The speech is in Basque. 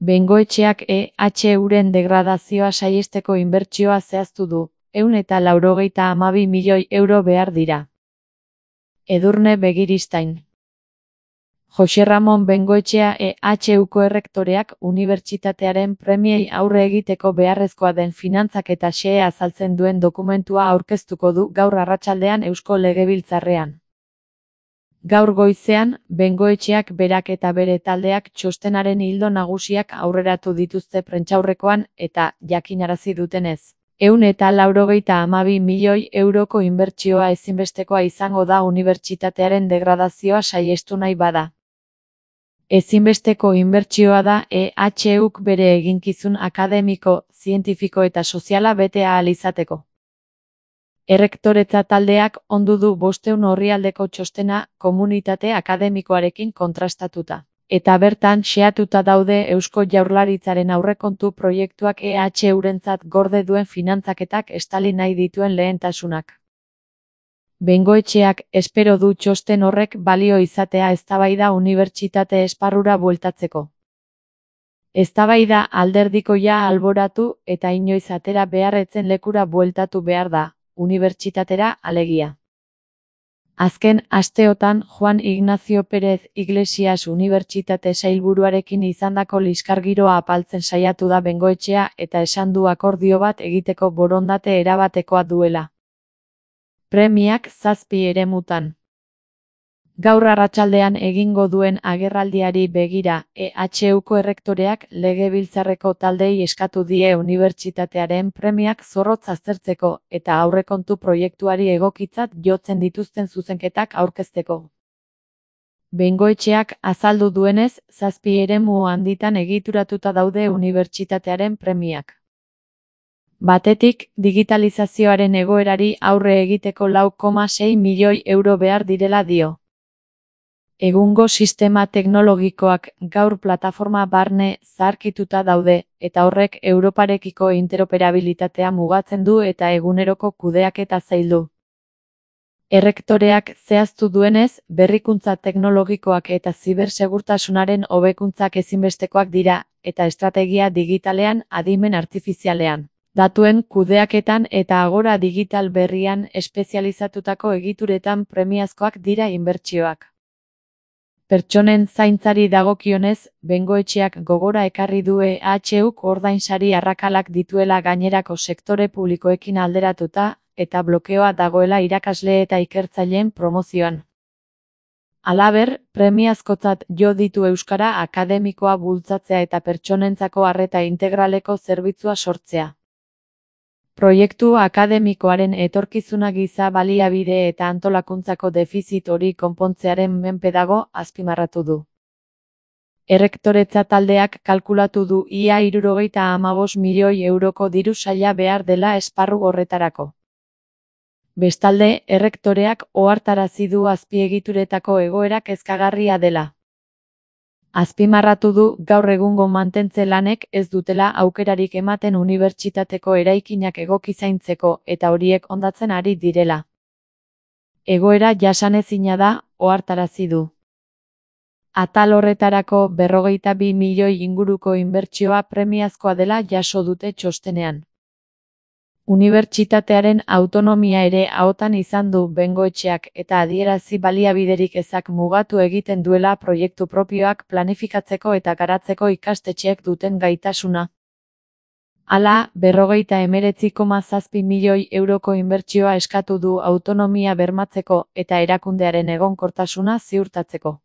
Bengoetxeak EHUren degradazioa saihesteko inbertsioa zehaztu du, 192 milioi euro behar dira. Edurne Begiristain. Jose Ramon Bengoetxea EHUko errektoreak unibertsitatearen premiei aurre egiteko beharrezkoa den finantzak eta xehea azaltzen duen dokumentua aurkeztuko du gaur arratsaldean Eusko Legebiltzarrean. Gaur goizean, Bengoetxeak berak eta bere taldeak txostenaren ildo nagusiak aurreratu dituzte prentsaurrekoan eta, jakinarazi dutenez, 192 milioi euroko inbertsioa ezinbestekoa izango da unibertsitatearen degradazioa saihestu nahi bada. Ezinbesteko inbertsioa da EHUk bere eginkizun akademiko, zientifiko eta soziala bete ahal izateko. Errektoretza taldeak ondu du 500 orrialdeko txostena komunitate akademikoarekin kontrastatuta. Eta bertan xehatuta daude Eusko Jaurlaritzaren aurrekontu proiektuak EHUrentzat gorde duen finantzaketak estali nahi dituen lehentasunak. Bengoetxeak espero du txosten horrek balio izatea eztabaida unibertsitate esparrura bueltatzeko. Eztabaida alderdikoia alboratu eta inoiz atera beharretzen lekura bueltatu behar da, unibertsitatera alegia. Azken asteotan Juan Ignacio Pérez Iglesias unibertsitate sailburuarekin izandako liskargiroa apaltzen saiatu da Bengoetxea eta esan du akordio bat egiteko borondate erabatekoa duela. Premiak 7 eremutan. Gaur arratsaldean egingo duen agerraldiari begira, EHUko errektoreak Legebiltzarreko taldeei eskatu die unibertsitatearen premiak zorrotz aztertzeko eta aurrekontu proiektuari egokitzat jotzen dituzten zuzenketak aurkezteko. Bengoetxeak azaldu duenez, 7 eremu handitan egituratuta daude unibertsitatearen premiak. Batetik, digitalizazioaren egoerari aurre egiteko 4,6 milioi euro behar direla dio. Egungo sistema teknologikoak gaur plataforma barne zaharkituta daude, eta horrek Europarekiko interoperabilitatea mugatzen du eta eguneroko kudeaketa zaildu. Errektoreak zehaztu duenez, berrikuntza teknologikoak eta zibersegurtasunaren hobekuntzak ezinbestekoak dira, eta estrategia digitalean adimen artifizialean. Datuen kudeaketan eta agora digital berrian espezializatutako egituretan premiazkoak dira inbertsioak. Pertsonen zaintzari dagokionez, Bengoetxeak gogora ekarri du EHUk ordainsari arrakalak dituela gainerako sektore publikoekin alderatuta, eta blokeoa dagoela irakasle eta ikertzaileen promozioan. Halaber, premiazkotzat jo ditu euskara akademikoa bultzatzea eta pertsonentzako arreta integraleko zerbitzua sortzea. Proiektu akademikoaren etorkizuna giza baliabide eta antolakuntzako defizit hori konpontzearen menpe dago, azpimarratu du. Errektoretza taldeak kalkulatu du ia 75 milioi euroko diru saila behar dela esparru horretarako. Bestalde, errektoreak ohartarazi du azpiegituretako egoera kezkagarria dela. Azpimarratu du gaur egungo mantentze lanek ez dutela aukerarik ematen unibertsitateko eraikinak egoki zaintzeko eta horiek hondatzen ari direla. Egoera jasanezina da, ohartarazi du. Atal horretarako 52 milioi inguruko inbertsioa premiazkoa dela jaso dute txostenean. Unibertsitatearen autonomia ere ahotan izan du Bengoetxeak eta adierazi baliabiderik ezak mugatu egiten duela proiektu propioak planifikatzeko eta garatzeko ikastetxeek duten gaitasuna. Hala, 59,7 milioi euroko inbertsioa eskatu du autonomia bermatzeko eta erakundearen egonkortasuna ziurtatzeko.